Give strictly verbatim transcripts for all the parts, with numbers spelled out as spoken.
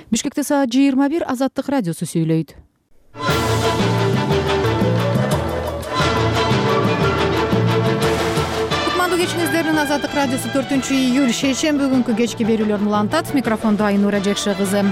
Бишкекте саат жыйырма бир. Азаттык радиосу сүйлөйт. Кутмандуу кечиңиздердин Азаттык радиосу төртүнчү июль шейшемби күнкү кечки берүүлөрүн улантат. Микрофондо Айнура Жекше кызы.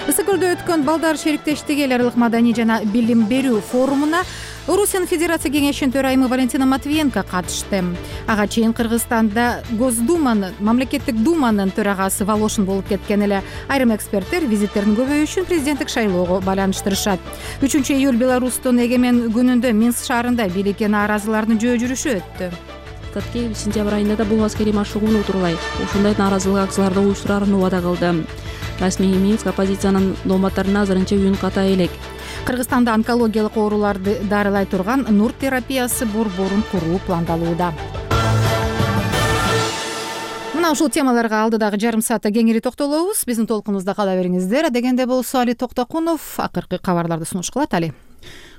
Ысык көлдө өткөн балдар шериктештиги эл аралык маданий жана билим берүү форумуна Орусиянын Федерация кеңешинин төрайымы Валентина Матвиенко катышты. Ага чейин Кыргызстанда Госдуманын, мамлекеттик думанын төрагасы Волошин болуп кеткен эле. Айрым эксперттер визиттердин көбөйүшүн президенттик шайлоого байланыштырышат. үчүнчү июль Беларустун эгемен күнүндө Минск шаарында бийликке нааразылардын жөө жүрүшү өттү. Таткеев сентябрь айында да бул аскерий машыгууну утурлай ушундай нааразылык акцияларды уюштурарын убада кылды. Расмий Минск оппозициянын дооматтарына азырынча үн ката элек. Кыргызстанда онкологиялык ооруларды дарылай турган нур терапиясы борборун куруу пландалууда. Мына ушул темаларга алдыдагы жарым саатта кеңири токтолобуз. Биздин толкунубузда кала бериңиздер. Адегенде болсо Али Токтокунов акыркы кабарларды сунуш кылат. Али.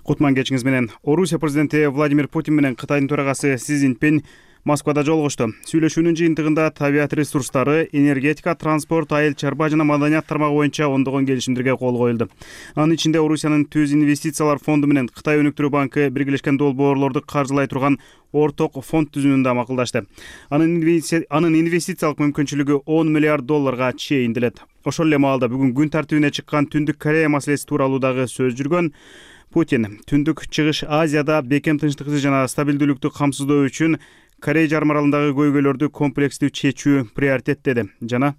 Кутман кечиңиз менен. Орусия президенти Владимир Путин менен Кытайдын төрагасы Си Цзиньпин Москвада жолугушту. Сүйлөшүүнүн жыйынтыгында табиат ресурстары, энергетика, транспорт, айыл чарба жана маданият тармагы боюнча ондогон келишимдерге кол коюлду. Анын ичинде Орусиянын Түз инвестициялар фонду менен Кытай өнүктүрүү банкы биргелешкен долбоорлорду каржылай турган орток фонд түзүүнүн да макулдашты. Анын инвестициялык мүмкүнчүлүгү он миллиард долларга чейинделет. Ошол эле маалда бүгүн күн тартибине чыккан Түндүк Корея маселеси тууралуу дагы сөз жүргөн. Путин Түндүк Чыгыш Азияда бекем тынчтыкты жана стабилдүүлүктү камсыздоо үчүн Корей жарым аралындагы көйгөйлөрдү комплекстүү чечүү приоритет деди. Жана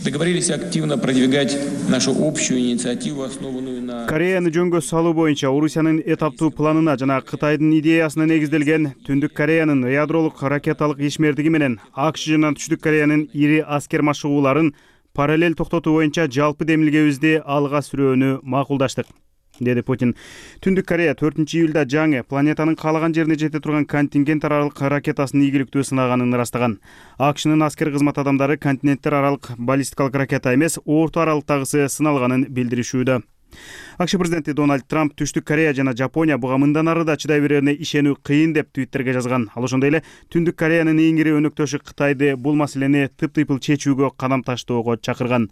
договорились активно продвигать нашу общую инициативу, основанную на Кореяны жөнгө салуу боюнча Орусиянын этаптуу планына жана Кытайдын идеясына негизделген Түндүк Кореянын ядролук ракеталык ишмердиги менен АКШ жана Түштүк Кореянын ири аскер машыгууларын параллель токтотуу боюнча жалпы демилгебизди алга сүрөөнү макулдаштык, деди Путин. Түндүк Корея төртүнчү июлда жаңы планетанын каалаган жерине жете турган контингент аралык ракетасын ийгиликтүү сынаганын ырастаган. АКШнын аскер кызмат адамдары континенттер аралык баллистикалык ракета эмес, орто аралыктагысы сыналганын билдиришүүдө. АКШ президенти Дональд Трамп Түштүк Корея жана Жапония буга мындан ары да чыдай берерине ишенүү кыйын деп твиттерге жазган. Ал ошондой эле Түндүк Кореянын эң ири өнөктөшү Кытайды бул маселени тыптыйпыл чечүүгө кадам таштоого чакырган.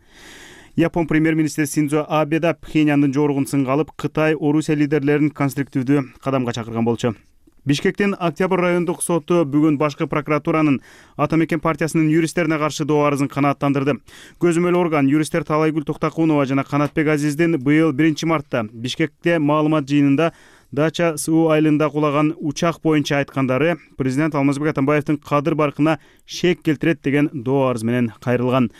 Япон премьер-министри Синдзо Абе да Пхеньяндын жоругун сынга алып, Кытай Орусия лидерлерин конструктивдүү кадамга чакырган болчу. Бишкектин Октябрь райондук соту бүгүн башкы прокуратуранын Ата мекен партиясынын юристтерине каршы доо арызын канааттандырды. Көзөмөл орган юристтер Талайгүл Токтокунова жана Канатбек Азиздин быйыл биринчи мартта Бишкекте маалымат жыйынында Дача суу айылында кулаган учак боюнча айткандары президент Алмазбек Атамбаевдин кадыр баркына шек келтирет деген доо арыз менен кайрылган.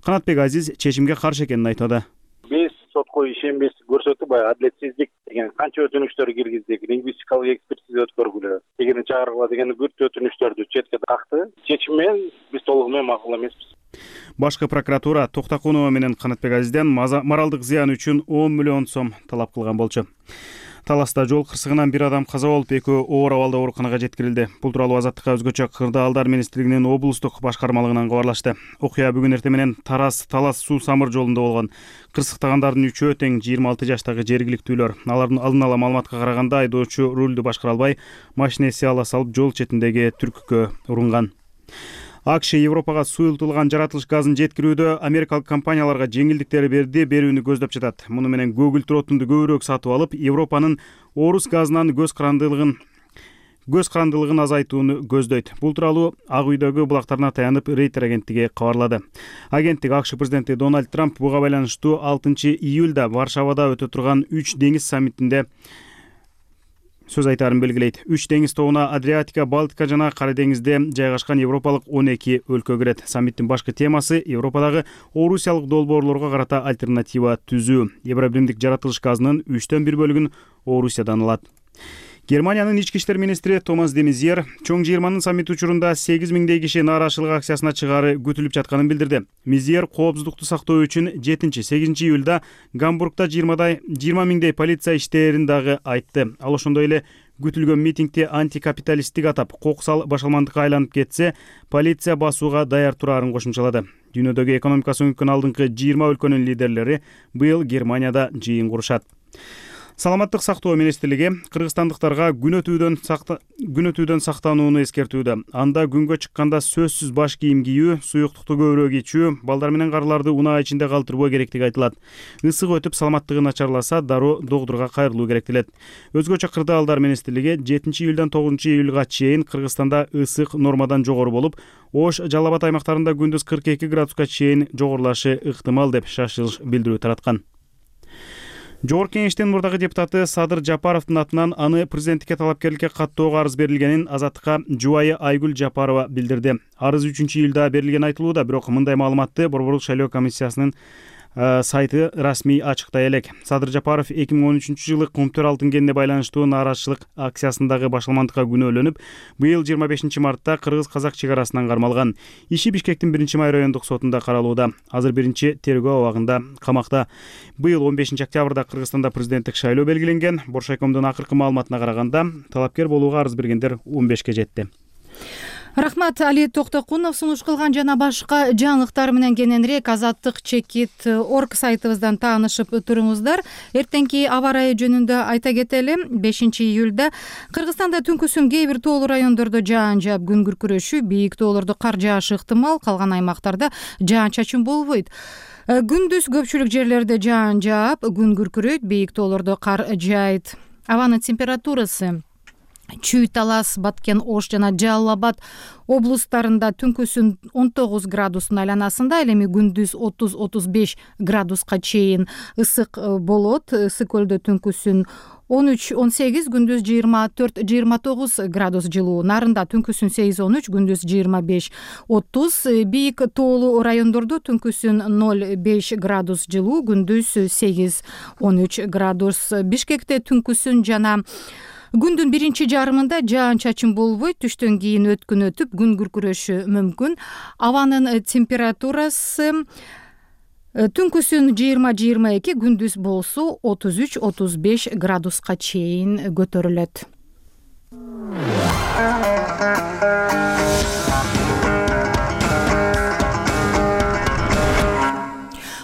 Канатбек Азиз чечимге каршы экенин айтады. Биз сотко ишенбес көрсөтүп, адилетсиздик деген канча өтүнүчтөр киргиздик, лингвистикалык экспертиза өткөргүлө деген чыгаргыла деген бүт өтүнүчтөрдү четке такты. Чечим менен биз толугу менен макул эмеспиз. Башкы прокуратура Токтокунова менен Канатбек Азизден моралдык зыян үчүн он миллион сом талап кылган болчу. Таласта жол кырсыгынан бир адам каза болуп, экөө оор абалда ооруканага жеткирилди. Бул тууралуу Азаттыкка өзгөчө Кырдаалдар министрлигинин облустук башкармалыгынан кабарлашты. Окуя бүгүн эртең менен Тарас Талас суу самыр жолунда болгон. Кырсыктагандардын үчөө тең жыйырма алты жаштагы жергиликтүүлөр. Алардын алдын ала маалыматка караганда айдоочу рулду башкара албай, машинеси ала салып жол четиндеги түркүккө урунган. АКШ Европага суюлтулган жаратылыш газын жеткирүүдө америкалык компанияларга жеңилдиктер берди, берүүнү көздөп жатат. Муну менен көгүл-тротунду көбүрөөк сатып алып, Европанын орус газынан көз карандылыгын көз карандылыгын азайтууну көздөйт. Бул тууралуу Ак үйдөгү булактарына таянып Рейтер агенттиги кабарлады. Агенттик АКШ президенти Дональд Трамп буга байланыштуу алтынчы июлда Варшавада өтө турган үч деңиз саммитинде сөз айтарын белгилейт. Үч деңиз тобуна Адриатика, Балтика жана Кара деңизде жайгашкан европалык он эки өлкө кирет. Саммиттин башкы темасы Европадагы орусиялык долбоорлорго карата альтернатива түзүү. Евробиримдик жаратылыш газынын үчтөн бир бөлүгүн Орусиядан алат. Германиянын ички иштер министри Томас де Мезьер чоң жыйырманын саммити учурунда сегиз миңдей киши нааразычылык акциясына чыгаары күтүлүп жатканын билдирди. Мезьер коопсуздукту сактоо үчүн жетинчи сегизинчи июлда Гамбургда жыйырма миңдей полиция иштерин дагы айтты. Ал ошондой эле күтүлгөн митингди антикапиталисттик атап, кокусал башалмандыкка айланып кетсе, полиция басууга даяр турарын кошумчалады. Дүйнөдөгү экономикасы өнүккөн алдыңкы жыйырма өлкөнүн лидерлери быйыл Германияда жыйын курушат. Саламаттык сактоо министрлиги кыргызстандыктарга күн өтүүдөн күн өтүүдөн сактанууну эскертүүдө. Анда күнгө чыкканда сөзсүз баш кийим кийүү, суюктукту көбүрөөк ичүү, балдар менен карларды унаа ичинде калтырбоо керектиги айтылат. Ысык өтүп саламаттыгы начарласа, дароо доктурга кайрылуу керектелет. Өзгөчө кырдаалдар министрлиги жетинчи июлдан тогузунчу июлга чейин Кыргызстанда ысык нормадан жогору болуп, Ош, Жалал Абад аймактарында күндүз кырк эки градуска чейин жогорулашы ыктымал деп шашылыш билдирүү тараткан. Жогорку Кеңештин мурдагы депутаты Садыр Жапаровдун атынан аны президенттикке талапкерликке каттоого арыз берилгенин Азаттыкка жубайы Айгүл Жапарова билдирди. Арыз үчүнчү июлда берилгени айтылууда, бирок мындай маалыматты Борборлук шайлоо комиссиясынын сайты расмий ачыктай элек. Садыр Жапаров эки миң он үчүнчү жылы Кумтөр алтын кенине байланыштуу нааразычылык акциясындагы башаламандыкка күнөөлөнүп, быйыл жыйырма бешинчи мартта кыргыз-казак чек арасынан кармалган. Иши Бишкектин биринчи май райондук сотунда каралууда. Азыр биринчи тергөө абагында камакта. Быйыл он бешинчи октябрда Кыргызстанда президенттик шайлоо белгиленген. Боршайкомдун акыркы маалыматына караганда, талапкер болууга арыз бергендер он бешке жетти. Рахмат, Али Токтокунов сунуш кылган жана башка жаңылыктар менен кененирээк азаттык чекит точка орг сайтыбыздан таанышып туруңуздар. Эртеңки аба ырайы жөнүндө айта кетели. бешинчи июлда Кыргызстанда түнкүсүн кээ бир тоолуу райондордо жаан жаап, күн күркүрөшүү, бийик тоолордо кар жаашы ыктымал, калган аймактарда жаан-чачын болбойт. Күндүз көпчүлүк жерлерде жаан жаап, күн күркүрөйт, бийик тоолордо кар жаайт. Абанын температурасы Чүй, Талас, Баткен, Ош жана Жалал Абад облустарында түнкүсүн он тогуз градустун айланасында, ал эми күндүз отуз отуз беш градуска чейин ысык болот. Ысык көлдө түнкүсүн он үч он сегиз, күндүз жыйырма төрт жыйырма тогуз градус жылуу. Нарында түнкүсүн сегиз он үч, күндүз жыйырма беш отуз. Бийик тоолуу райондордо түнкүсүн ноль беш градус жылуу, күндүз сегиз он үч градус. Бишкекте түнкүсүн жана күндүн биринчи жарымында жаан-чачын болбойт, түштөн кийин өткүн өтүп, күн күркүрөшү мүмкүн. Абанын температурасы түнкүсүн жыйырма жыйырма эки, күндүз болсо отуз үч отуз беш градуска чейин көтөрүлөт.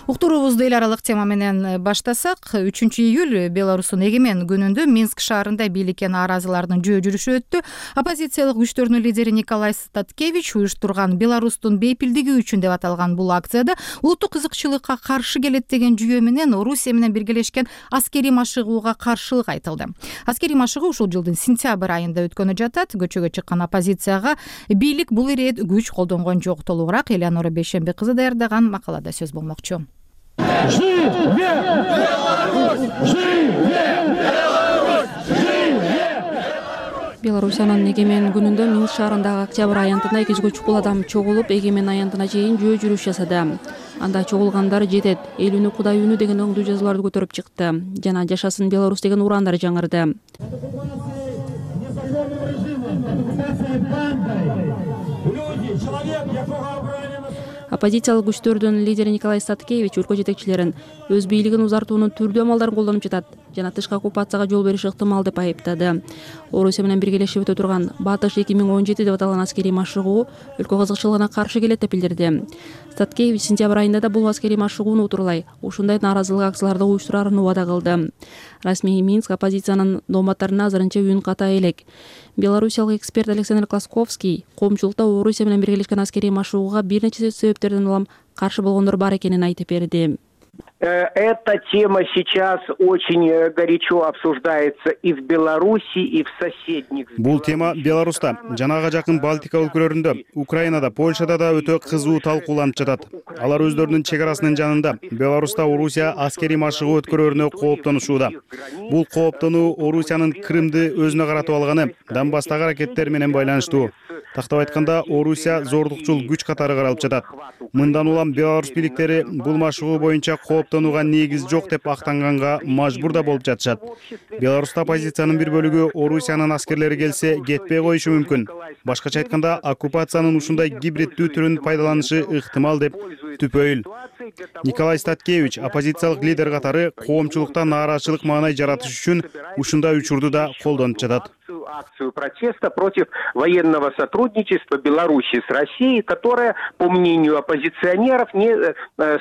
Уктуруубузду эл аралык тема менен баштасак, үчүнчү июль Беларустун эгемен күнүндө Минск шаарында бийликке нааразылардын жөө жүрүшү өттү. Оппозициялык күчтөрдүн лидери Николай Статкевич уюштурган Беларустун бейпилдиги үчүн деп аталган бул акцияда улуттук кызыкчылыкка каршы келет деген жүйө менен Орусия менен биргелешкен аскерий машыгууга каршылык айтылды. Аскерий машыгуу ушул жылдын сентябрь айында өткөнү жатат. Көчөгө чыккан оппозицияга бийлик бул ирет күч колдонгон жок. Толугураак Элеонора Бейшембек кызы даярдаган макалада сөз болмокчу. Беларусиянын эгемен күнүндө Минск шаарындагы октябрь аянтында эки жүзгө чукул адам чогулуп, эгемен аянтына чейин жөө жүрүш жасады. Анда чогулгандар жетет, эл үнү Кудай үнү деген оңдуу жазууларды көтөрүп чыкты жана жашасын Беларусь деген ураандар жаңырды. Оппозициялык күчтөрдүн лидери Николай Статкевич өлкө жетекчилерин өз бийлигин узартуунун түрдүү амалдарын колдонуп жатат жана тышкы оккупацияга жол бериши ыктымал деп айыптады. Орусия менен биргелешип өтө турган Батыш эки миң он жети деп аталган аскерий машыгуу өлкө кызыкчылыгына каршы келет деп билдирди. Статкевич сентябрь айында да бул аскерий машыгууну утурлай, ушундай нааразылык акцияларды уюштурарын убада кылды. Расмий Минск оппозициянын дооматтарына азырынча үн ката элек. Белорусиялык эксперт Александр Класковский коомчулукта Орусия менен биргелешкен аскерий машыгууга бир нече себептерден улам каршы болгондор бар экенин айтып берди. Эта тема сейчас очень горячо обсуждается и в Беларуси, и в соседних. Бул тема Беларуста, жанага жакын Балтика өлкөлөрүндө, Украинада, Польшада да өтө кызуу талкууланып жатат. Алар өздөрүнүн чек арасынын жанында Беларуста Орусия аскерий машыгуу өткөрүүнө кооптонушууда. Бул кооптонуу Орусиянын Крымды өзүнө каратып алганы, Донбасстагы аракеттер менен байланыштуу. Тактап айтканда, Орусия зордукчул күч катары каралып жатат. Мындан улам Беларусь бийликтери бул машыгуу боюнча кооптонууга негиз жок деп актанганга мажбур да болуп жатышат. Беларуста оппозициянын бир бөлүгү Орусиянын аскерлери келсе кетпей коюшу мүмкүн. Башкача айтканда, оккупациянын ушундай гибриддүү түрүн пайдаланышы ыктымал деп түпөйүл. Николай Статкевич оппозициялык лидер катары коомчулукта нааразычылык маанай жаратыш үчүн ушундай учурду да колдонуп жатат. акцию протеста против военного сотрудничества Беларуси с Россией, которое, по мнению оппозиционеров, не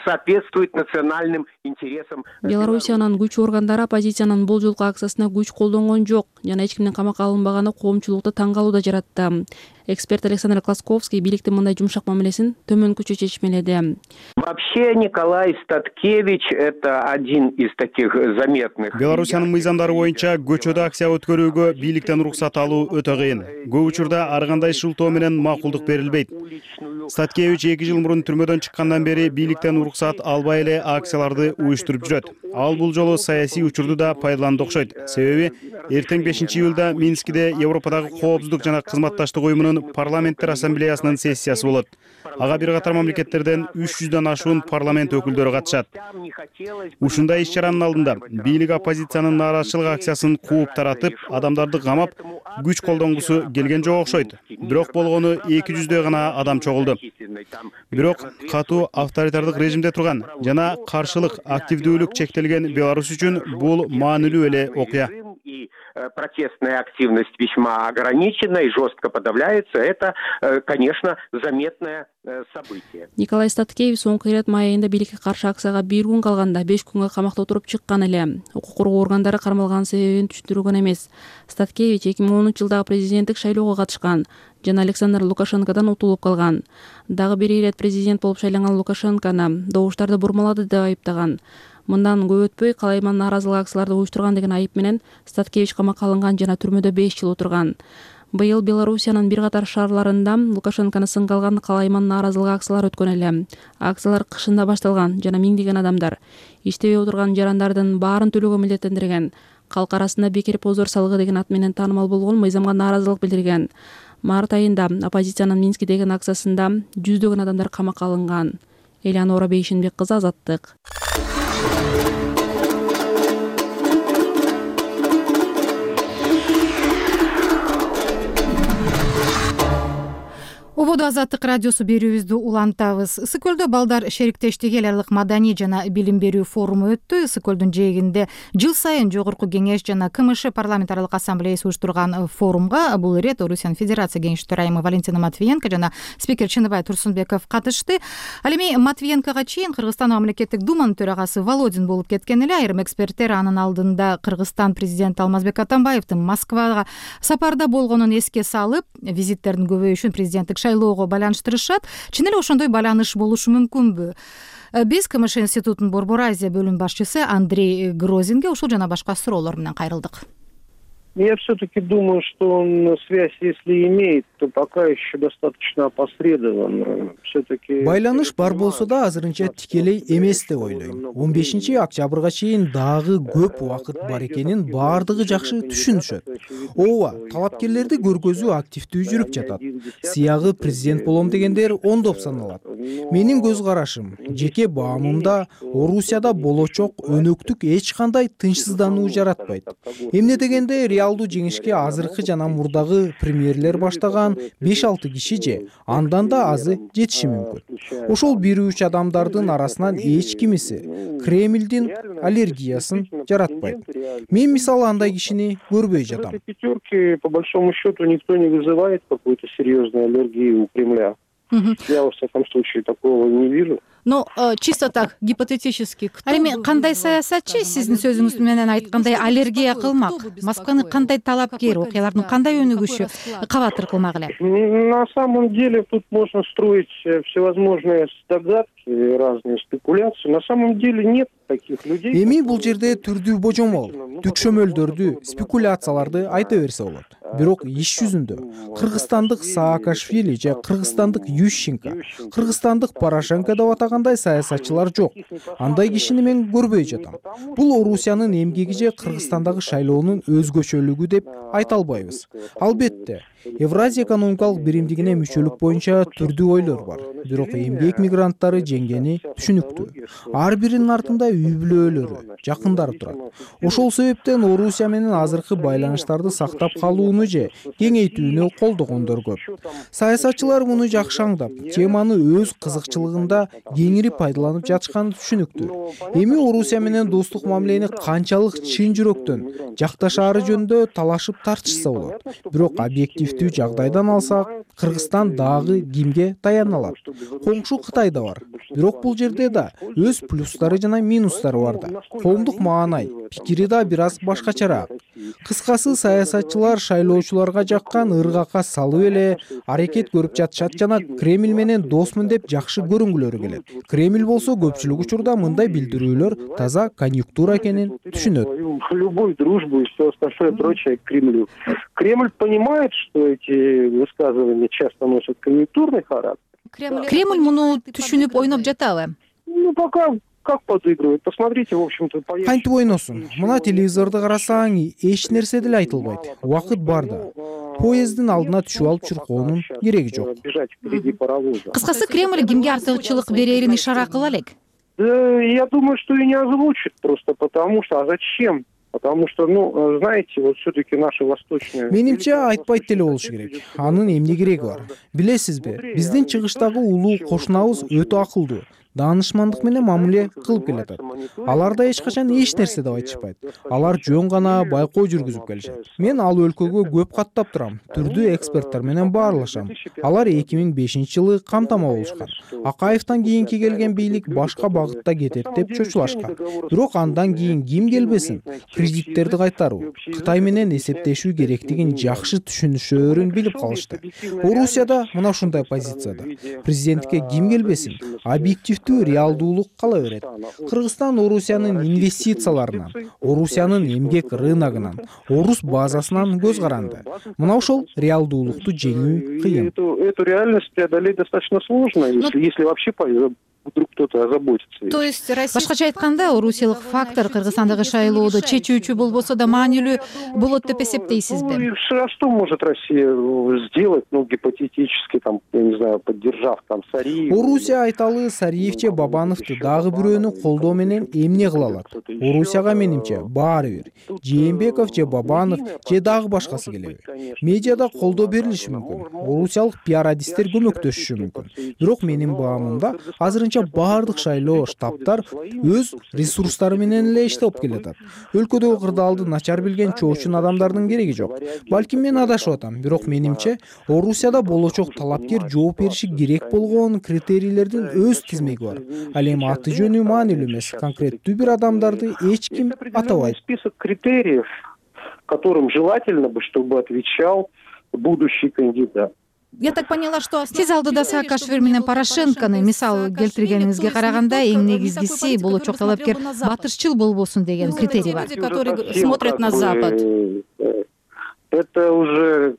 соответствует национальным интересам. Белоруссиянын күч органдары оппозициянын бул жолку акциясына күч колдонгон жок жана эч кимдин камакка алынбаганы коомчулукта таң калууда жаратты. Эксперт Александр Класковский бийликтин мындай жумшак мамилесин төмөнкүчө чечмеледи. Вообще Николай Статкевич это один из таких заметных. Белоруссиянын мыйзамдары боюнча көчөдө акция өткөрүүгө бийликтен уруксат алуу өтө кыйын. Көп учурда ар кандай шылтоо менен макулдук берилбейт. Статкевич эки жыл мурун түрмөдөн чыккандан бери бийликтен уруксат албай эле акцияларды уюштуруп жүрөт. Ал бул жолу саясий учурду да пайдаланды окшойт. Себеби эртең бешинчи июлда Минскиде Европадагы коопсуздук жана кызматташтык уюмунун парламенттер ассамблеясынын сессиясы болот. Ага бир катар мамлекеттерден үч жүздөн ашуун парламент өкүлдөрү катышат. Ушундай иш-чаранын алдында бийлик оппозициянын нааразычылык акциясын кууп таратып, адамдарды камап, күч колдонгусу келген жок окшойт. Бирок болгону эки жүздөй гана адам чогулду. Бирок катуу авторитардык режимде турган жана каршылык активдүүлүк чектелген Беларусь үчүн бул маанилүү эле окуя. Протестная активность весьма ограничена и жестко подавляется. Это, конечно, заметное событие. Николай Статкевич соңку ирет май айында бийликке каршы акцияга бир күн калганда беш күнгө камакта отуруп чыккан эле. Укук коргоо органдары кармалган себебин түшүндүргөн эмес. Статкевич эки миң онунчу жылдагы президенттик шайлоого катышкан жана Александр Лукашенкодан утулуп калган. Дагы бир ирет президент болуп шайланган Лукашенкону добуштарды бурмалады деп айыптаган. Мындан көп өтпөй калайман нааразылык акцияларды уюштурган деген айып менен Статкевич камакка алынган жана түрмөдө беш жыл отурган. Быйыл Белоруссиянын бир катар шаарларында Лукашенкону сынга алган калайман нааразылык акциялары өткөн эле. Акциялар кышында башталган жана миңдеген адамдар иштебей отурган жарандардын баарын төлөөгө милдеттендирген. Калк арасында бекер позор салыгы деген ат менен таанымал болгон мыйзамга нааразылык билдирген. Март айында оппозициянын Минскидеги акциясында жүздөгөн адамдар камакка алынган. Элеонора Бейшинбек кызы, Азаттык. Ободо Азаттык радиосу берүүбүздү улантабыз. Ысык көлдө балдар шериктештиги эл аралык маданий жана билим берүү форуму өттү. Ысык көлдүн жээгинде жыл сайын Жогорку Кеңеш жана КМШ парламент аралык ассамблеясы уюштурган форумга бул ирет Орусиянын Федерация Кеңеш төрайымы Валентина Матвиенко жана спикер Чыныбай Турсунбеков катышты. Ал эми Матвиенкого чейин Кыргызстан мамлекеттик думанын төрагасы Володин болуп кеткен эле. Айрым эксперттер анын алдында Кыргызстан президенти Алмазбек Атамбаевдин Москвага сапарда болгонун эске салып, визиттердин көбөйүшүн президенттик шайлоого байланыштырышат. Чын эле ошондой байланыш болушу мүмкүнбү? Биз КМШ институтунун Борбор Азия бөлүм башчысы Андрей Грозинге ушул жана башка суроолор менен кайрылдык. Я все-таки думаю, что он связь, если имеет, то пока еще достаточно опосредованно. Все-таки байланыш бар болсо да азырынча тикелей эмес деп ойлойм. он бешинчи октябрга чейин дагы көп убакыт бар экенин баардыгы жакшы түшүнүшөт. Ооба, талапкерлерди көргөзүү активдүү жүрүп жатат. Сыягы президент болом дегендер ондоп саналат. Менин көз карашым, жеке баамымда Орусияда болочок өнөктүк эч кандай тынчсыздануу жаратпайт. Эмне дегенде реалдуу жеңишке азыркы жана мурдагы премьерлер баштаган беш алты киши же андан да азы жетиши мүмкүн. Ошол бир үч адамдардын арасынан эч кимиси Кремлдин аллергиясын жаратпайт. Мен мисалы андай кишини көрбөй жатам. В пятерке, по большому счету, никто не вызывает какой-то серьезной аллергии у Кремля. Я, во всяком случае, такого не вижу. Но чисто так, гипотетически. Ал эми кандай саясатчы сиздин сөзүңүз менен айткандай аллергия кылмак? Москваны кандай талапкер, окуялардын кандай өнүгүшү кабатыр кылмак эле? На самом деле тут можно строить всевозможные догадки, разные спекуляции. На самом деле нет таких людей. Эми бул жерде түрдүү божомол, түкшөмөлдөрдү, спекуляцияларды айта берсе болот. Бирок иш жүзүндө кыргызстандык Саакашвили же кыргызстандык Ющенко, кыргызстандык Порошенко деп атагандай саясатчылар жок. Андай кишини мен көрбөй жатам. Бул Орусиянын эмгеги же Кыргызстандагы шайлоонун өзгөчөлүгү деп айта албайбыз. Албетте, Евразия экономикалык биримдигине мүчөлүк боюнча түрдүү ойлор бар. Бирок эмгек мигранттары жеңгени түшүнүктүү. Ар биринин артында үй бүлөлөрү, жакындары турат. Ошол себептен Орусия менен азыркы байланыштарды сактап калууну же кеңейтүүнү колдогондор көп. Саясатчылар муну жакшы аңдап, теманы өз кызыкчылыгында кеңири пайдаланып жатышканы түшүнүктүү. Эми Орусия менен достук мамилени канчалык чын жүрөктөн жакташаары жөнүндө талашып тартышса болот. Бирок объективдүү жагдайдан алсак, Кыргызстан дагы кимге таяна алат? Коңшу Кытай да бар. Бирок бул жерде да өз плюстары жана минустары бар да. Коомдук маанай, пикири да бир аз башкачараак. Кыскасы, саясатчылар шайлоочуларга жаккан ыргакка салып эле аракет көрүп жатышат жана Кремль менен досмун деп жакшы көрүнгүлөрү келет. Кремль болсо көпчүлүк учурда мындай билдирүүлөр таза конъюнктура экенин түшүнөт. Любую дружбу и все остальное прочее к Кремлю. Кремль понимает, что эти высказывания часто носят конъюнктурный характер. Кремль муну түшүнүп ойноп жатабы? Ну, пока как подыгрывает. Посмотрите, в общем-то, поездки. Кантип ойносун? Мына телевизорду карасаң, эч нерсе деле айтылбайт. Убакыт бар да. Поезддин алдына түшүп алып чуркоонун кереги жок. Бежать впереди паровоза. Кыскасы, Кремль кимге артыкчылык берерин ишара кыла элек? Да, я думаю, что и не озвучит просто потому что, а зачем? Потому что, ну, знаете, вот все-таки наши восточные... Менимче айтпайт деле болушу керек. Анын эмне кереги бар? Билесизби, биздин чыгыштагы улуу кошунабыз өтө акылдуу, даанышмандык менен мамиле кылып келатат. Алар да эч качан эч нерсе деп айтышпайт. Алар жөн гана байкоо жүргүзүп келишет. Мен ал өлкөгө көп каттап турам, түрдүү эксперттер менен баарлашам. Алар эки миң бешинчи жылы камтама болушкан. Акаевден кийинки келген бийлик башка багытта кетет деп чочулашкан. Бирок андан кийин ким келбесин? Кредиттерди кайтаруу, Кытай менен эсептешүү керектигин жакшы түшүнүшөөрүн билип калышты. Орусияда мына ушундай позицияда. Президентке ким келбесин? Объективдүү реалдуулук кала берет. Кыргызстан Орусиянын инвестицияларынан, Орусиянын эмгек рыногунан, орус базасынан көз каранды. Мына ошол реалдуулукту жеңүү кыйын. Эту реальность преодолеть достаточно сложно, если, если вообще вдруг кто-то озаботится. То есть, башкача айтканда, орусиялык фактор Кыргызстандагы шайлоодо чечүүчү болбосо да маанилүү болот деп эсептейсизби? Ну, что может Россия сделать, ну, гипотетически, там, я не знаю, поддержав там Сариев? Орусия айталы Сариев же Бабановду дагы бирөөнү колдоо менен эмне кыла алат? Орусияга менимче баары бир. Жээнбеков же Бабанов же дагы башкасы келеби. Медиада колдоо берилиши мүмкүн. Орусиялык пиар адистер көмөктөшүшү мүмкүн. Бирок менин баамымда азырынча баардык шайлоо штабтар өз ресурстары менен эле иштеп келатат. Өлкөдөгү кырдаалды начар билген чоочун адамдардын кереги жок. Балким мен адашып атам, бирок менимче Орусияда болочок талапкер жооп бериши керек болгон критерийлердин өз тизмеги бар. Ал эми аты жөнү маанилүү эмес, конкреттүү бир адамдарды эч ким атабайт. Список критериев, которым желательно бы, чтобы отвечал будущий кандидат. Я так поняла, что сиз алдыда Саакашвили менен Порошенконы мисал келтиргениңизге караганда эң негизгиси болочок талапкер батышчыл болбосун деген критерий бар. Которые смотрят на Запад. Это уже,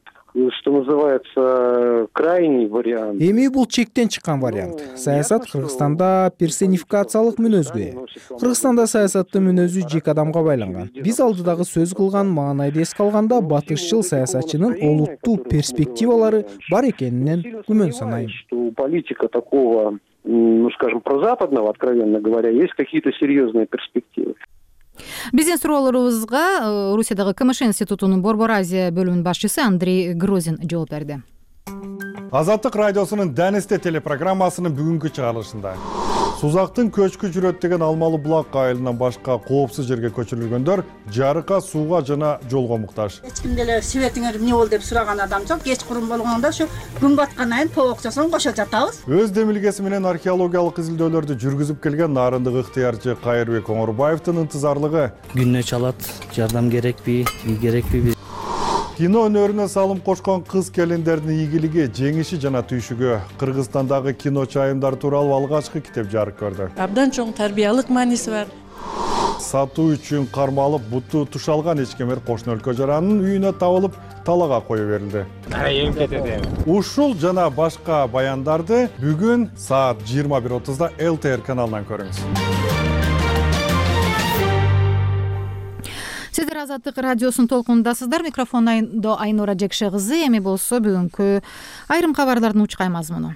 что называется, крайний вариант. Эми бул чектен чыккан вариант. Саясат Кыргызстанда персонификациялык мүнөзгө ээ. Кыргызстанда саясаттын мүнөзү жеке адамга байланган. Биз алдыдагы сөз кылган маанайды эске алганда батышчыл саясатчынын олуттуу перспективалары бар экенинен күмөн санайм. У политика такого, ну скажем, прозападного, откровенно говоря, есть какие-то серьезные перспективы. Биздин суроолорубузга Орусиядагы КМШ институтунун Борбор Азия бөлүмүнүн башчысы Андрей Грозин жооп берди. Азаттык радиосунун Дэнисте телепрограммасынын бүгүнкү чыгарылышында Сузактын көчкү жүрөт деген Алмалы булак айылынан башка коопсуз жерге көчүрүлгөндөр жарыкка, сууга жана жолго муктаж. Эч ким деле светиңер эмне болду деп сураган адам жок. Кечкурун болгондо ушу күн баткандан кийин тоокчосун кошо жатабыз. Өз демилгеси менен археологиялык изилдөөлөрдү жүргүзүп келген Нарындык ыктыярчы Кайырбек Оңорбаевдин ынтызарлыгы. Күнүнө чалат, жардам керекпи, керекпи? Кино өнөрүнө салым кошкон кыз келиндердин ийгилиги, жеңиши жана түйшүгү Кыргызстандагы кино чайымдар тууралуу алгачкы китеп жарык көрдү. Абдан чоң тарбиялык мааниси бар. Сатуу үчүн кармалып, буту тушалган ичкемер кошуна өлкө жаранын үйүнө табылып, талага коюп берилди. Ушул жана башка баяндарды бүгүн саат жыйырма бир отузда эл тэ эр каналынан көрүңүз. Сиздер Азаттык радиосунун толкунундасыздар. Микрофондо Айнура Жекше кызы. Эми болсо бүгүнкү айрым кабарлардын учкай мазмуну.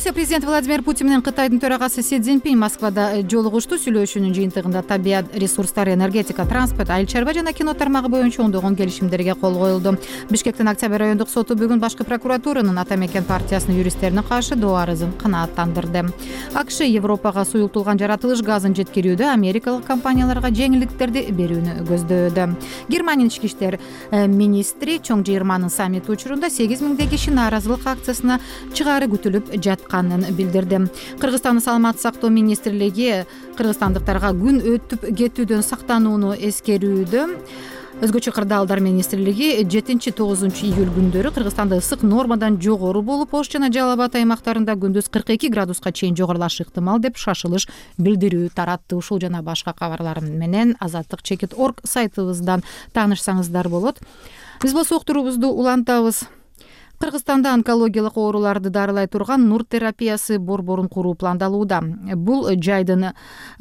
Белоруссия президенти Владимир Путин менен Кытайдын төрагасы Си Цзиньпин Москвада жолугушту. Сүйлөшүүнүн жыйынтыгында табият ресурстары, энергетика, транспорт, айыл чарба жана кино тармагы боюнча ондогон келишимдерге кол коюлду. Бишкектин Октябрь райондук соту бүгүн башкы прокуратуранын Ата мекен партиясынын юристтерине каршы доо арызын канааттандырды. АКШ Европага суюлтулган жаратылыш газын жеткирүүдө америкалык компанияларга жеңилдиктерди берүүнү көздөдү. Германиянын ички иштер министри чоң жыйырманын саммити учурунда сегиз миңдей киши нааразылык акциясына чыгаары күтүлүп жатканын билдирди. Кыргызстандын саламаттык сактоо министрлиги кыргызстандыктарга күн өтүп кетүүдөн сактанууну эскерүүдө. Өзгөчө кырдаалдар министрлиги жетинчи тогузунчу июль күндөрү Кыргызстанда ысык нормадан жогору болуп, Ош жана Жалал Абад аймактарында күндүз кырк эки градуска чейин жогорулашы ыктымал деп шашылыш билдирүү таратты. Ушул жана башка кабарлар менен азаттык чекит точка орг сайтыбыздан таанышсаңыздар болот. Биз болсо уктуруубузду улантабыз. Кыргызстанда онкологиялык ооруларды дарылай турган нур терапиясы борборун куруу пландалууда. Бул жайдын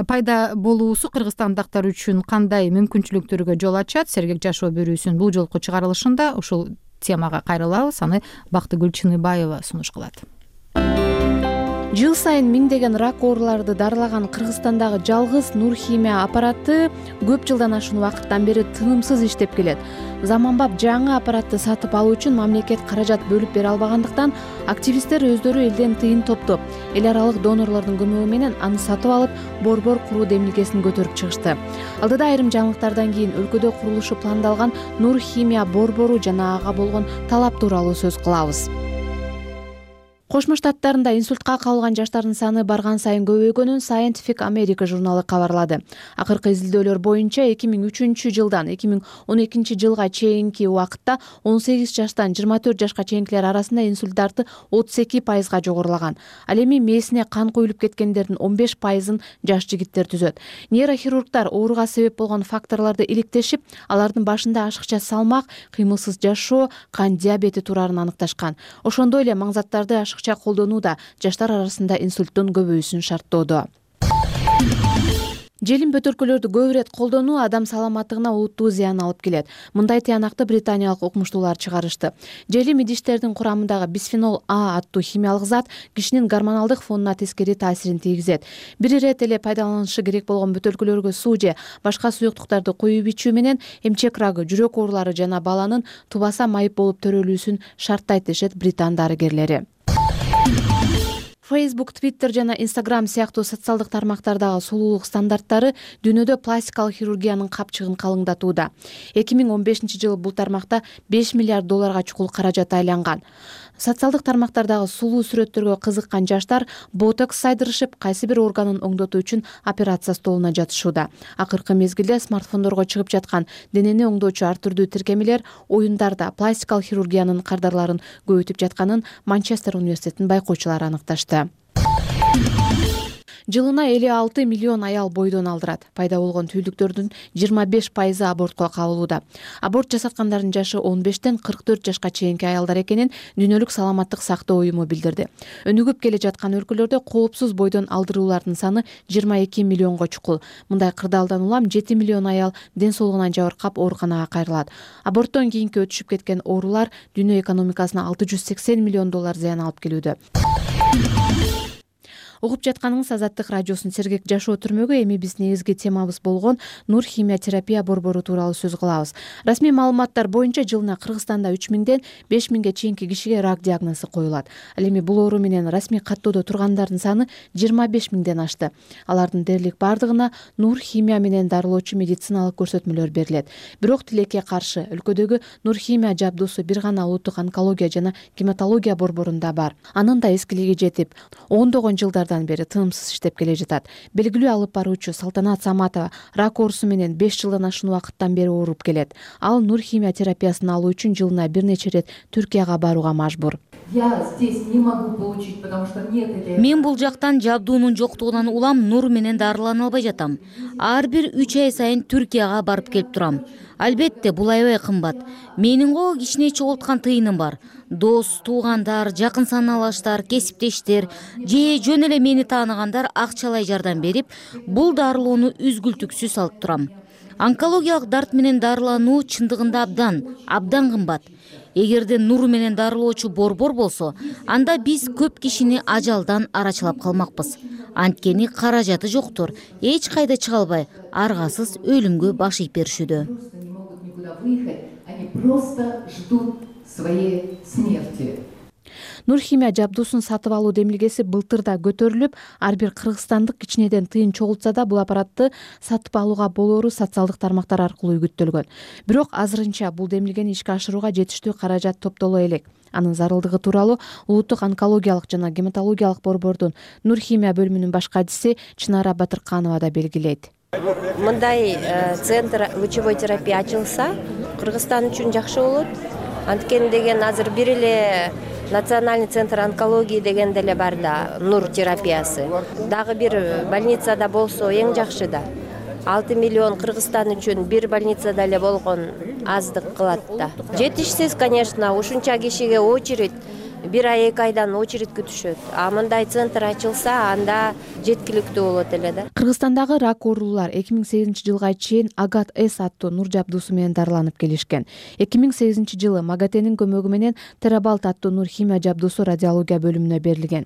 пайда болуусу кыргызстандыктар үчүн кандай мүмкүнчүлүктөргө жол ачат? Сергек жашоо берүүсүнүн бул жолку чыгарылышында ушул темага кайрылабыз. Аны Бактыгүл Чыныбаева сунуш кылат. Жыл сайын миңдеген рак ооруларды дарылаган Кыргызстандагы жалгыз нур химия аппараты көп жылдан ашуун убакыттан бери тынымсыз иштеп келет. Заманбап жаңы аппаратты сатып алуу үчүн мамлекет каражат бөлүп бере албагандыктан активисттер өздөрү элден тыйын топтоп, эл аралык донорлордун көмөгү менен аны сатып алып, борбор куруу демилгесин көтөрүп чыгышты. Алдыда айрым жаңылыктардан кийин өлкөдө курулушу пландалган нур химия борбору жана ага болгон талап тууралуу сөз кылабыз. Кошмо Штаттарында инсультка кабылган жаштардын саны барган сайын көбөйгөнүн Scientific America журналы кабарлады. Акыркы изилдөөлөр боюнча эки миң үчүнчү жылдан эки миң он экинчи жылга чейинки убакытта он сегиз жаштан жыйырма төрт жашка чейинкилер арасында инсульт дарты отуз эки пайызга жогорулаган. Ал эми мээсине кан куюлуп кеткендердин он беш пайызын жаш жигиттер түзөт. Нейрохирургдар ооруга себеп болгон факторлорду иликтешип, алардын башында ашыкча салмак, кыймылсыз жашоо, кан диабети турарын аныкташкан. Ошондой эле маңзаттарды ашыкча колдонуу да жаштар арасында инсульттун көбөйүүсүн шарттоодо. Желим бөтөркөлөрдү көп ирет колдонуу адам саламаттыгына олуттуу зыян алып келет. Мындай тыянакты британиялык окумуштуулар чыгарышты. Желим идиштердин курамындагы бисфенол А аттуу химиялык зат кишинин гормоналдык фонуна тескери таасирин тийгизет. Бир ирет эле пайдаланышы керек болгон бөтөркөлөргө суу же башка суюктуктарды коюп ичүү менен эмчек рагы, жүрөк оорулары жана баланын тубаса майып болуп төрөлүүсүн шарттайт дешет британ дарыгерлери. Facebook, Twitter жана Instagram сыяктуу социалдык тармактардагы сулуулук стандарттары дүйнөдө пластикалык хирургиянын капчыгын калыңдатууда. эки миң он бешинчи жылы бул тармакта беш миллиард долларга чукул каражат айланган. Социалдык тармактардагы сулуу сүрөттөргө кызыккан жаштар ботокс сайдырышып, кайсы бир органын оңдотуу үчүн операция столуна жатышууда. Акыркы мезгилде смартфондорго чыгып жаткан денени оңдоочу ар түрдүү тиркемелер оюндарда пластикалык хирургиянын кардарларын көбөйтүп жатканын Манчестер университетинин байкоочулары аныкташты. Жылына элүү алты миллион аял бойдон алдырат. Пайда болгон түйүлдүктөрдүн жыйырма беш пайызы абортко кабылууда. Аборт жасаткандардын жашы он бештен кырк төрт жашка чейинки аялдар экенин Дүйнөлүк саламаттык сактоо уюму билдирди. Өнүгүп келе жаткан өлкөлөрдө коопсуз бойдон алдыруулардын саны жыйырма эки миллионго чукул. Мындай кырдаалдан улам жети миллион аял ден соолугунан жабыркап ооруканага кайрылат. Аборттон кийинки өтүшүп кеткен оорулар дүйнө экономикасына алты жүз сексен миллион доллар зыян алып келүүдө. Угуп жатканыңыз Азаттык радиосунун Сергек жашоо түрмөгү. Эми биздин негизги темабыз болгон нур химия терапия борбору тууралуу сөз кылабыз. Расмий маалыматтар боюнча жылына Кыргызстанда үч миңден беш миңге чейинки кишиге рак диагнозу коюлат. Ал эми бул оору менен расмий каттоодо тургандардын саны жыйырма беш миңден ашты. Алардын дээрлик бардыгына нур химия менен дарылоочу медициналык көрсөтмөлөр берилет. Бирок тилекке каршы өлкөдөгү нур химия жабдуусу бир гана улуттук онкология жана гематология борборунда бар. Анын да эскилиги жетип, ондогон жылдардан бери тынымсыз иштеп келе жатат. Белгилүү алып баруучу Салтанат Саматова рак оорусу менен беш жылдан ашуун убакыттан бери ооруп келет. Ал нур химия терапиясын алуу үчүн жылына бир нече рет Түркияга барууга мажбур. Мен бул жактан жабдуунун жоктугунан улам нур менен дарылана албай жатам. Ар бир үч ай сайын Түркияга барып келип турам. Албетте бул аябай кымбат. Менин го кичине чогулткан тыйыным бар. Дос, туугандар, жакын саналаштар, кесиптештер же жөн эле мени тааныгандар акчалай жардам берип, бул дарылоону үзгүлтүксүз алып турам. онкологиялык дарт менен дарылануу чындыгында абдан абдан кымбат. Эгерде нур менен дарылоочу борбор болсо, анда биз көп кишини ажалдан арачылап калмакпыз. Анткени каражаты жоктур, эч кайда чыга албай, аргасыз өлүмгө баш ийип беришүүдө. Нурхимия жабдуусун сатып алуу демилгеси былтыр да көтөрүлүп, ар бир кыргызстандык кичинеден тыйын чогултса да бул аппаратты сатып алууга болоору социалдык тармактар аркылуу үгүттөлгөн. Бирок азырынча бул демилгени ишке ашырууга жетиштүү каражат топтоло элек. Анын зарылдыгы тууралуу Улуттук онкологиялык жана гематологиялык борбордун Нурхимия бөлүмүнүн баш кадиси Чынара Батырканова да белгилейт. Мындай центр лучевой терапия ачылса, Кыргызстан үчүн жакшы болот. Анткени деген азыр бир эле Национальный центр онкологии деген деле бар да, нур терапиясы. Дагы бир больницада болсо эң жакшы да. алты миллион Кыргызстан үчүн бир больницада эле болгон аздык кылат да. Жетишсиз, конечно, ушунча кишиге очередь бир ай эки айдан очередь күтүшөт. А мындай центр ачылса, анда жеткиликтүү болот эле да. Кыргызстандагы рак оорулуулар эки миң сегизинчи жылга чейин Агат С аттуу нур жабдуусу менен дарыланып келишкен. эки миң сегизинчи жылы Магатенин көмөгү менен Терабалт аттуу Нурхимия жабдуусу радиология бөлүмүнө берилген.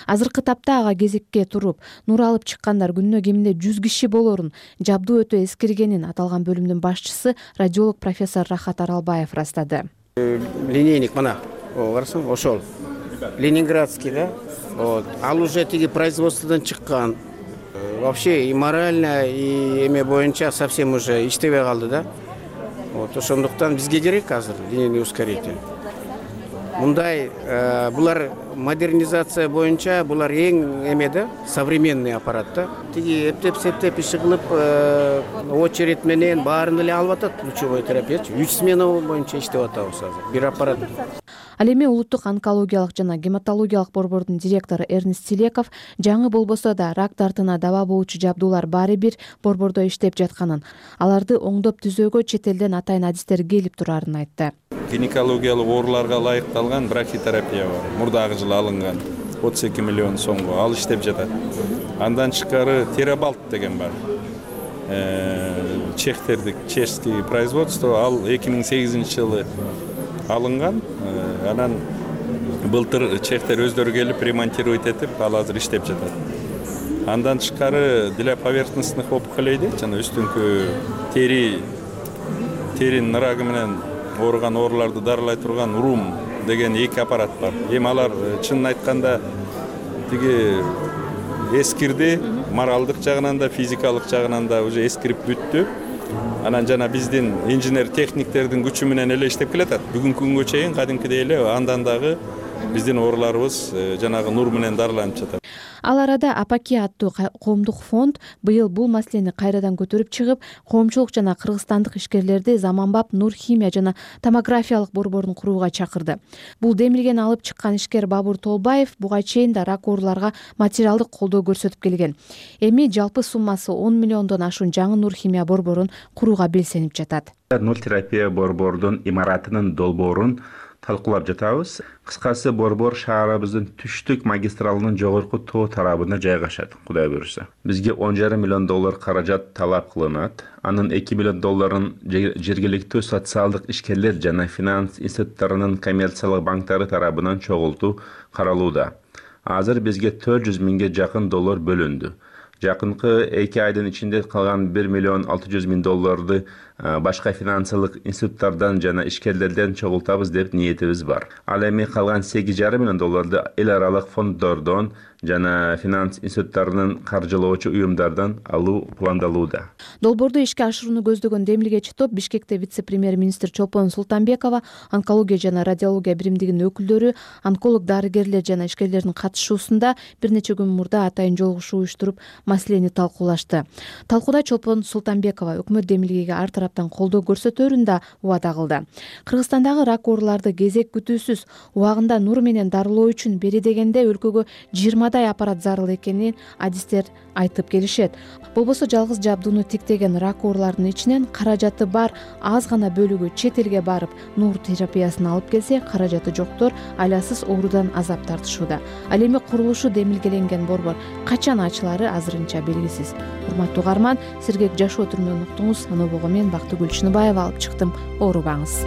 Азыркы тапта ага кезекке туруп, нур алып чыккандар күнүнө кеминде жүз киши болорун, жабдуу өтө эскиргенин аталган бөлүмдүн башчысы радиолог профессор Рахат Аралбаев ырастады. Линейник мына карасаң ошол ленинградский да. Вот. Ал уже тиги производстводан чыккан. Вообще и морально, и эме боюнча совсем уже иштебей калды да. Вот ошондуктан бизге керек азыр линейный ускоритель. Мындай булар модернизация боюнча булар эң эме да, современный аппарат да. Тиги эптеп септеп иши кылып очередь менен баарын эле алып атат лучевой терапиячы. үч смена боюнча иштеп атабыз азыр. Бир аппарат. Ал эми Улуттук онкологиялык жана гематологиялык борбордун директору Эрнест Телеков жаңы болбосо да рак дартына даба болуучу жабдуулар баары бир борбордо иштеп жатканын, аларды оңдоп түзөөгө чет элден атайын адистер келип турарын айтты. Гинекологиялык ооруларга ылайыкталган брахитерапия бар. Мурдагы жылы алынган отуз эки миллион сомго ал иштеп жатат. Андан тышкары Терабалт деген бар. Чехтердик, чешский производство, ал эки миң сегизинчи жылы алынган. Анан былтыр чехтер өздөрү келип ремонтировать этип, ал азыр иштеп жатат. Андан тышкары для поверхностных опухолей, жана үстүңкү тери теринин рагы менен ооруган ооруларды дарылай турган Урум деген эки аппарат бар. Эми алар чынын айтканда тиги эскирди, моралдык жагынан да, физикалык жагынан да уже эскирип бүттү. Анан жана биздин инженер техниктердин күчү менен эле иштеп келатат. Бүгүнкү күнгө чейин кадимкидей эле андан дагы биздин ооруларыбыз жанагы нур менен дарыланып жатат. Ал арада Апаки аттуу коомдук фонд быйыл бул маселени кайрадан көтөрүп чыгып, коомчулук жана кыргызстандык ишкерлерди заманбап Нурхимия жана томографиялык борборун курууга чакырды. Бул демилгени алып чыккан ишкер Бабур Толбаев буга чейин да рак ооруларга материалдык колдоо көрсөтүп келген. Эми жалпы суммасы он миллиондон ашуун жаңы Нурхимия борборун курууга белсенип жатат. Нур терапия борбордун имаратынын долбоорун талкуулап жатабыз. Кыскасы борбор шаарыбыздын түштүк магистралынын жогорку тоо тарабына жайгашат, Кудай буюрса. Бизге он жарым миллион доллар каражат талап кылынат. Анын эки миллион долларын жергиликтүү социалдык ишкерлер жана финанс институттарынын коммерциялык банктары тарабынан чогултуу каралууда. Азыр бизге төрт жүз миңге жакын доллар бөлүндү. Жакынкы эки айдын ичинде калган бир миллион алты жүз миң долларды башка финансылык институттардан жана ишкерлерден чогултабыз деп ниетибиз бар. Ал эми калган сегиз жарым миллион долларды эл аралык фонддордон жана финанс институттарынын каржылоочу уюмдардан алуу пландалууда. Долбоорду ишке ашырууну көздөгөн демилгечи топ Бишкекте вице-премьер-министр Чолпон Султанбекова, онкология жана радиология биримдигинин өкүлдөрү, онколог дарыгерлер жана ишкерлердин катышуусунда бир нече күн мурда атайын жолугушуу уюштуруп, маселени талкуулашты. Талкууда Чолпон Султанбекова өкмөт демилгеге ар тараптан колдоо көрсөтөөрүн да убада кылды. Кыргызстандагы рак ооруларды кезек күтүүсүз убагында нур менен дарылоо үчүн бери дегенде өлкөгө жыйырмадай аппарат зарыл экенин адистер айтып келишет. Болбосо жалгыз жабдууну тиктеген рак оорулардын ичинен каражаты бар аз гана бөлүгү чет элге барып нур терапиясын алып келсе, каражаты жоктор айласыз оорудан азап тартышууда. Ал эми курулушу демилгеленген борбор качан ачылары азырынча белгисиз. Урматтуу угарман, сергек жашоо түрүнөн уктуңуз. Анобого мен Бактыгүл Чыныбаева алып чыктым. Оорубаңыз.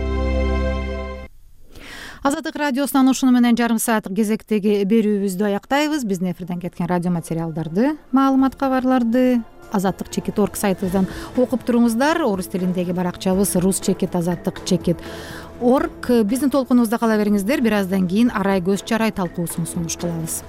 Азаттык радиосунан ушуну менен жарым саат кезектеги берүүбүздү аяктайбыз. Биздин эфирден кеткен радио материалдарды, маалымат кабарларды азаттык чекит орг сайтыбыздан окуп туруңуздар. Орус тилиндеги баракчабыз рус чекит азаттык чекит орг. Биздин толкунубузда кала бериңиздер. Бир аздан кийин арай көз чарай талкуусун сунуш кылабыз.